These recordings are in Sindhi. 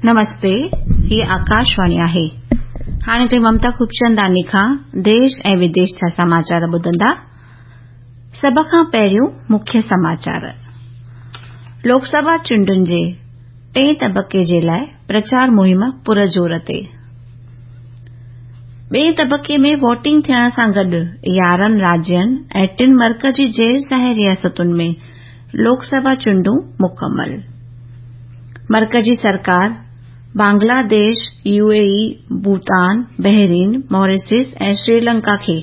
نمستي، هي آڪاشواڻي آهي. هاڻي توهين ممتا خوبچنداڻي کان ديش ۽ وديش جا سماچار ٻڌندا. سڀ کان پهريون مکيه سماچار. لوڪ سڀا چونڊن جي ٽئين طبقي جي لاء پرچار مهم پر زور تي. ٻئين طبقي ۾ ووٽنگ ٿيڻ سان گڏ 11 راجين ۽ ٽن مرڪزي زير ساحل رياستن ۾ لوڪ سڀا چونڊون مڪمل. مرڪزي سرڪار Bangladesh, U A E, Bhutan, Bahrain, Mauritius ۽ Sri Lanka کي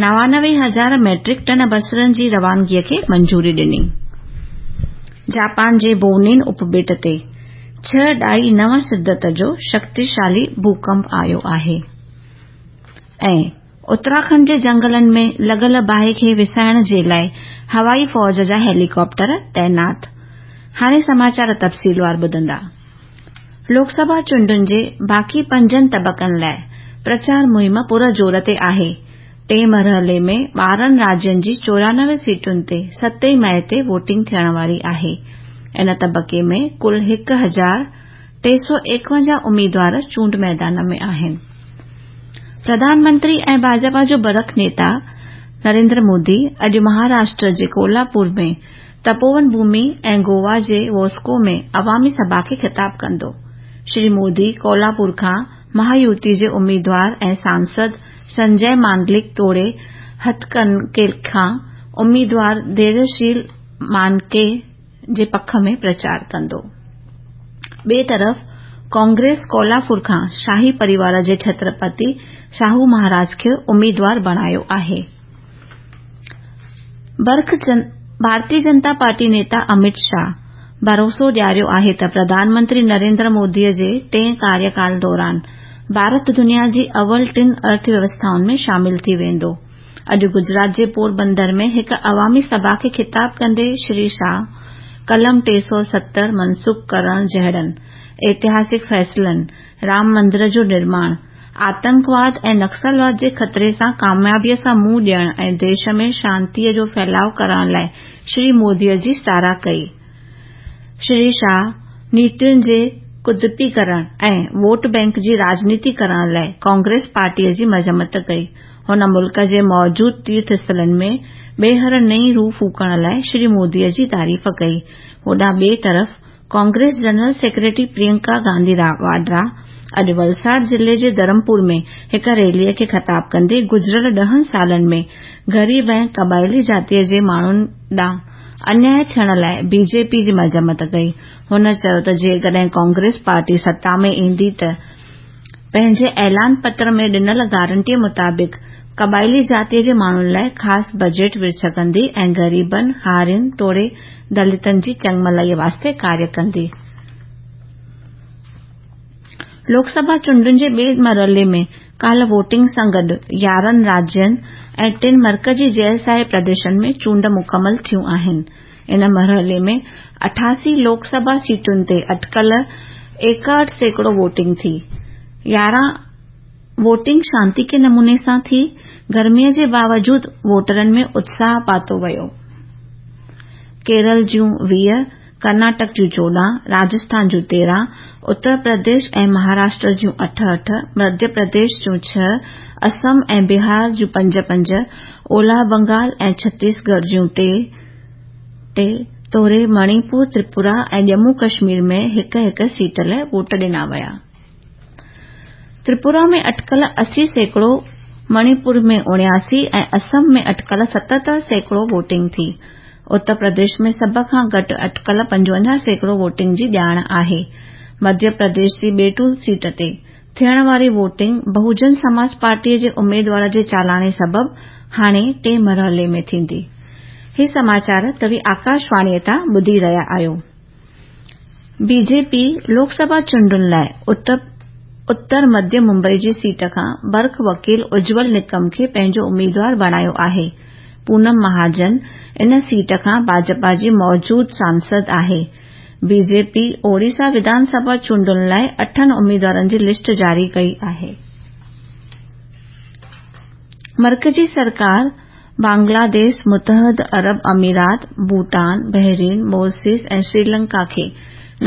99 هزار ميٽرڪ ٽن بصرن جي روانگي کي منظوري ڏني. جاپان جي بونين اپٻيٽ تي 6.9 شدت جو شڪتيشالي ڀوڪمپ آيو آهي ۽ اتراکنڊ جي جنگلن ۾ لڳل باهه کي وسائڻ جي لاء هوائي فوج جا هيليڪاپٽر تعينات. هاڻي سماچار تفصيلوار ٻڌندا. لوڪ سڀا چونڊن جي باقي پنجن طبقن لاء پرچار مهم پر زور تي آهي. ٽئين مرحلي ۾ 12 راجين جي 94 سيٽن تي 7 مئي تي ووٽنگ ٿيڻ واري آهي. ان طبقي ۾ ڪل 1351 اميدوار چونڊ ميدان ۾ آهن. پرڌان منتري ۽ ڀاجپا جو برک نيتا نريندر مودي اڄ مهاراشٽر جي ڪولاپور ۾ تپوون ڀومي ۽ گوا جي واسڪو ۾ عوامي سڀا کي خطاب ڪندو. شري مودي ڪولاپور کان مهايوتي جي اميدوار ۽ سانسد سنجي مانڊلڪ توڙي هتڪنڪي کان اميدوار ڌيريشيل مانڪي جي پک ۾ پرچار ڪندو. ٻئي طرف ڪانگريس ڪولاپور کان شاهي پريوار جي ڇترپتي شاهو مهاراج کي اميدوار بڻايو آهي. ڀارتيه جنتا پارٽي نيتا امت شاهه ڀروسو ڏياريو آهي ته پرڌان منتري نريندر مودي جي ٽئين ڪاريڪال دوران ڀارت دنيا جي اول ٽن ارٿ ويوسٿائن ۾ شامل ٿي ويندو. اڄ گجرات جي پوربندر ۾ هڪ عوامي سڀا کي خطاب ڪندي شري شاهه قلم 370 منسوخ ڪرڻ جهڙن اتهاسڪ فيصلن، رام مندر جو نرماڻ، آتنڪواد ۽ نڪسلواد جي خطري سان ڪاميابيء سان منهن ڏيڻ ۽ ديش ۾ شانتيء جو ڦهلاءُ ڪرڻ لاء شري مودي جي ساراهه ڪئي. شري شاهه نيتين جي ڪدپيڪرڻ ۽ ووٽ بئنڪ جي راڄنيتي ڪرڻ لاء ڪانگريس پارٽيء جي مذمت ڪئي. هن ملڪ جي موجود تيرٿ اسٿلن ۾ ٻيهر نئين روح ڦوڪڻ لاء شري مودي جي تعريف ڪئي. هوڏانهن ٻئي طرف ڪانگريس جنرل سيڪريٽري پريانڪا گانڌي واڊرا اڄ ولساڙ ضلعي جي ڌرمپور ۾ هڪ ريلي کي خطاب ڪندي گذريل 10 سالن ۾ غريب ۽ قبائلي جاتيء جي ماڻهن ڏانهن انياء ٿيڻ لاء بي جي پي جي مذمت ڪئي. هن چيو ته جيڪڏهن ڪانگريس پارٽي ستا ۾ ايندي ته پنهنجي اعلان پتر ۾ ڏنل گارنٽيء مطابق قبائلي جاتيء جي ماڻهن لاء خاص بجيٽ ورڇ ڪندي ۽ غريبن، هارين توڙي دلتن جي چڱڀلائيء واسطي ڪاريه ڪندي. لوڪ سڀا چونڊن جي ٻئي مرحلي ۾ ڪالهه ووٽنگ سان گڏ 11 راجين ۽ ٽن مرڪزي زير ساحل پرديشن ۾ چونڊ مڪمل ٿيون آهن. ان مرحلي ۾ 88 لوڪ سڀا سيٽن تي اٽڪل 61% ووٽنگ ٿي. 11 ووٽنگ شانتيڪي نموني سان ٿي. گرميء جي باوجود ووٽرن ۾ اتساهه پاتو ويو. ڪيرل جون 20، ڪرناٽڪ جون 14، راجسٿان جون 13، اتر پرديش ۽ مهاراشٽر جون 8 8، مڌيه پرديش جون 6، اسم ۽ بهار جون 5 5، اولهه بنگال ۽ ڇتيسڳڙهه جون 3 3 توڙي مڻيپور، تريپورا ۽ ڄمون ڪشمير ۾ هڪ هڪ سيٽ لاء ووٽ ڏنا ويا. تريپورا ۾ اٽڪل 80%، مڻيپور ۾ 79 ۽ اسم ۾ اٽڪل 77% ووٽنگ ٿي. اتر پرديش ۾ سڀ کان گهٽ اٽڪل 55% ووٽنگ جي ڄاڻ آهي. مڌيه پرديش جي بيتول سيٽ تي ٿيڻ واري ووٽنگ بهوجن سماج پارٽيء جي اميدوار جي چالاڻي سبب هاڻي ٽئين مرحلي ۾ ٿيندي. هي سماچار توهين آڪاشواڻيء تان ٻڌي رهيا آهيو. بي جي پي لوڪ سڀا چونڊن لاء اتر مڌيه ممبئي جي سيٽ کان برک وڪيل اجول نڪم کي پنهنجو اميدوار بڻايو آهي. پونم مهاجن ان سيٽ کان ڀاجپا جي موجود سانسد آهي. بي جي پي اوڙيسا وڌان سڀا چونڊن لاء اٺن اميدوارن جي لسٽ جاري ڪئي آهي. مرڪزي سرڪار بنگلاديش، متحده عرب امارات، ڀوٽان، بحرين، موريشس ۽ سريلنڪا کي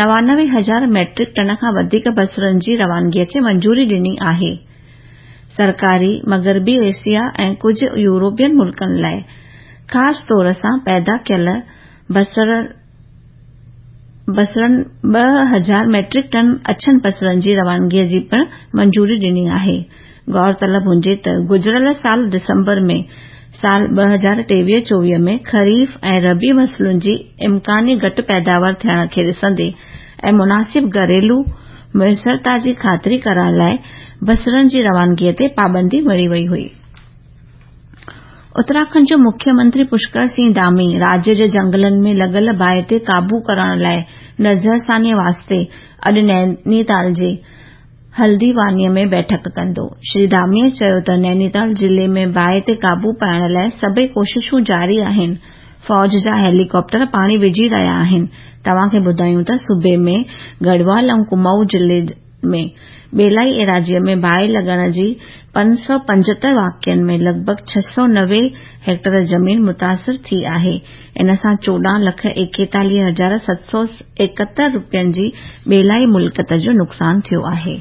99 هزار ميٽرڪ ٽن کان وڌيڪ بصرن جي روانگي کي منظوري ڏني آهي. سرڪاري مغربي ايشيا ۽ ڪجهه يورپين ملڪن لاء خاص طور سان پيدا ڪيل بصرن 2000 ميٽرڪ ٽن اڇن بصرن جي روانگي جي پڻ منظوري ڏني آهي. غور طلب هجي ته گذريل سال ڊسمبر ۾ سال 2023-24 ۾ خريف ۽ ربيع فصلن جي امڪاني گهٽ پيداوار ٿيڻ کي ڏسندي ۽ مناسب گهريلو ميسرتا جي خاطري ڪرڻ لاء بصرن جي روانگي تي پابندي مڙهي وئي هئي. اتراکنڊ جو مکيه منتري پشڪر سنگهه ڌامي راجيه جي جهنگلن ۾ لڳل باهه تي قابو ڪرڻ لاء نظرثاني واسطي اڄ نينيتال جي هلديوانيء ۾ بيٺڪ ڪندو. شري ڌاميء چيو ته نينيتال ضلعي ۾ باهه تي قابو پائڻ لاء سڀئي ڪوششون جاري آهن، فوج جا هيليڪاپٽر پاڻي وجهي رهيا آهن. توهان کي ٻڌايون ته صوبي ۾ گڙهوال ۽ ڪمائون ضلعي ۾ ٻيلائي ايراضيء ۾ باهه لڳڻ جي 575 واقعن ۾ لڳ ڀڳ 690 هيڪٽر زمين متاثر ٿي آهي. ان سان 14 لک 41 هزار 771 رپين جي ٻيلائي ملڪيت جو نقصان ٿيو آهي.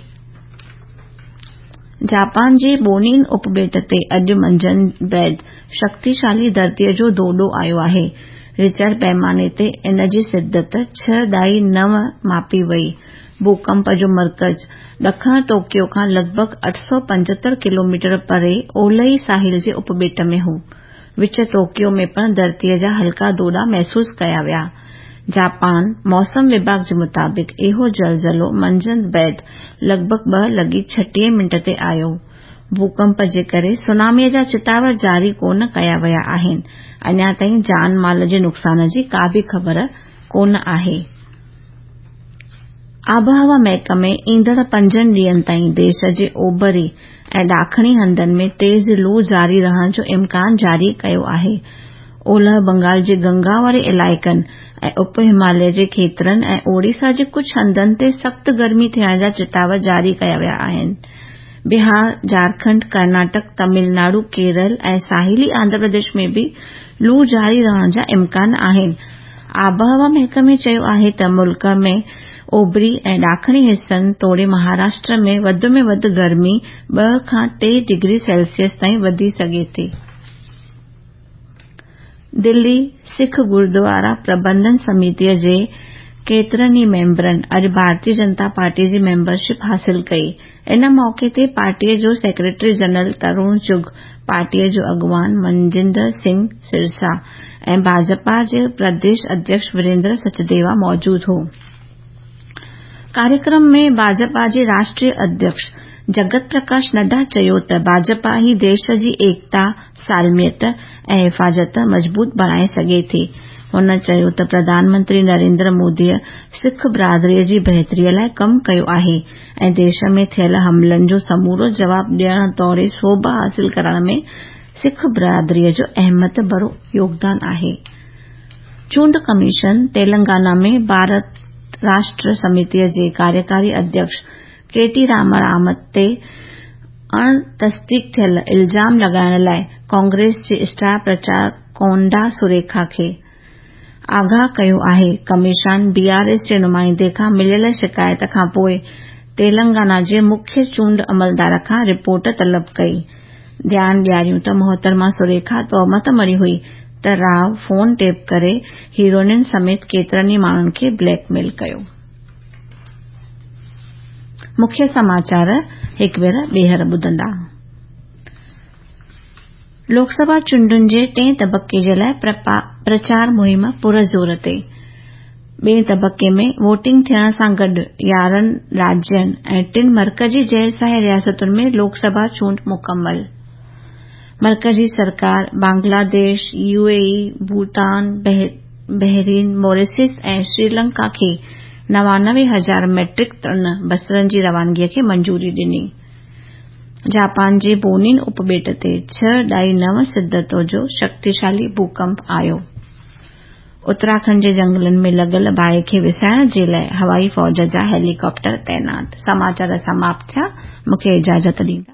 جاپان جي بونين اپٻيٽ تي اڄ منجهند بعد شڪتيشالي ڌرتيء جو ڌوڏو آيو آهي. رچر پيماني تي ان جي شدت 6.9 ماپي وئي. ڀوڪمپ جو مرڪز ڏکڻ ٽوڪيو کان لڳ ڀڳ 875 ڪلوميٽر پري اولهي ساحل جي اپٻيٽ ۾ هو. وچ ٽوڪيو ۾ پڻ ڌرتيء جا هلڪا ڌوڏا محسوس ڪيا ويا. جاپان موسم وڀاڳ جي مطابق اهو زلزلو منجهند بعد لڳ ڀڳ 2:36 منٽ تي آيو. ڀوڪمپ جي ڪري سوناميء جا چتاء جاري ڪونه ڪيا ويا آهن. اڃا تائين جان مال جي نقصان جي ڪا به خبر ڪونه آهي. آبهوا محڪمي ايندڙ پنجن ڏينهن تائين ديش جي اوڀري ۽ ڏاکڻي هنڌن ۾ تيز لو جاري رهڻ جو امڪان جاري ڪيو آهي. اولهه بنگال جي گنگا واري علائقن ۽ اپ هماليه جي کيترن ۽ اوڙيسا جي ڪجهه هنڌن تي سخت گرمي ٿيڻ جا چتاء جاري ڪيا ويا آهن. بهار، جهارکنڊ، ڪرناٽڪ، تمل ناڊو، ڪيرل ۽ ساحلي آنڌرا پرديش ۾ به لو جاري رهڻ جا امڪان آهن. آبهوا محڪمي چيو آهي ته ملڪ ۾ اوڀري ۽ ڏاکڻي حصن توڙي مهاراشٽر ۾ وڌ ۾ وڌ گرمي 2 کان 3 ڊگري سيلسيس تائين وڌي سگهي ٿي. دلي سک گردوارا پربنڌن سميتي جي ڪيترن ئي ميمبرن اڄ ڀارتي جنتا پارٽي جي ميمبرشپ حاصل ڪئي. ان موقعي تي پارٽيء جو سيڪريٽري جنرل ترون چغ، پارٽيء جو اڳواڻ منجندر سنگهه سرسا ۽ ڀاجپا جي پرديش اڌيڪش وريندر سچديوا موجود هو. ڪاريڪرم ۾ ڀاجپا جي راشٽريه اڌيڪش جگت پرڪاش نڊا چيو ته ڀاجپا ئي ديش جي ايڪتا، سالميت ۽ حفاظت مضبوط بڻائي سگهي ٿي. هن چيو ته پرڌان منتري نريندر موديء سک برادريء جي بهتريء لاء ڪم ڪيو آهي ۽ ديش ۾ ٿيل حملن جو سمورو جواب ڏيڻ توڙي سوڀ حاصل ڪرڻ ۾ سک برادريء جو اهميت ڀرو يوگدان آهي. چونڊ ڪميشن تيلنگانا ۾ ڀارت راشٽر سميتيء جي ڪاريڪاري اڌيڪش ڪي ٽي راما رائو تي اڻ تصديق ٿيل الزام لڳائڻ لاء ڪانگريس جي اسٽار پرچارڪ ڪونڊا سريکا کي آگاهه ڪيو آهي. ڪميشن بي آر ايس جي نمائندي کان مليل شڪايت کانپوء تيلنگانا جي مکيه چونڊ عملدار کان رپورٽ طلب ڪئي. ڌيان ڏياريون ته محترمه سريکا تهمت مڙهي هئي ته رائو فون ٽيپ ڪري هيروئنن سميت ڪيترن ئي ماڻهن کي بليڪ ميل ڪيو. مکيه سماچار هڪ ڀير ٻيهر ٻڌندا. لوڪ سڀا چونڊن جي ٽئين طبقي جي لاء پرچار مهم پر زور تي. ٻئين طبقي ۾ ووٽنگ ٿيڻ سان گڏ 11 راجين ۽ ٽن مرڪزي زيرساهي رياستن ۾ لوڪ سڀا چونڊ مڪمل. مرڪزي سرڪار Bangladesh, U A E, Bhutan, Bahrain, Mauritius ۽ Sri Lanka کي 99 هزار ميٽرڪ ٽن بصرن جي روانگي کي منظوري ڏني. جاپان جي بونين اپٻيٽ تي 6.9 شدت جو شڪتيشالي ڀوڪمپ آيو. اتراکنڊ جي جهنگلن ۾ لڳل باهه کي وسائڻ جي لاء هوائي فوج جا هيليڪاپٽر تعينات. سماچار سماپت ٿيا. مون کي اجازت ڏيندا.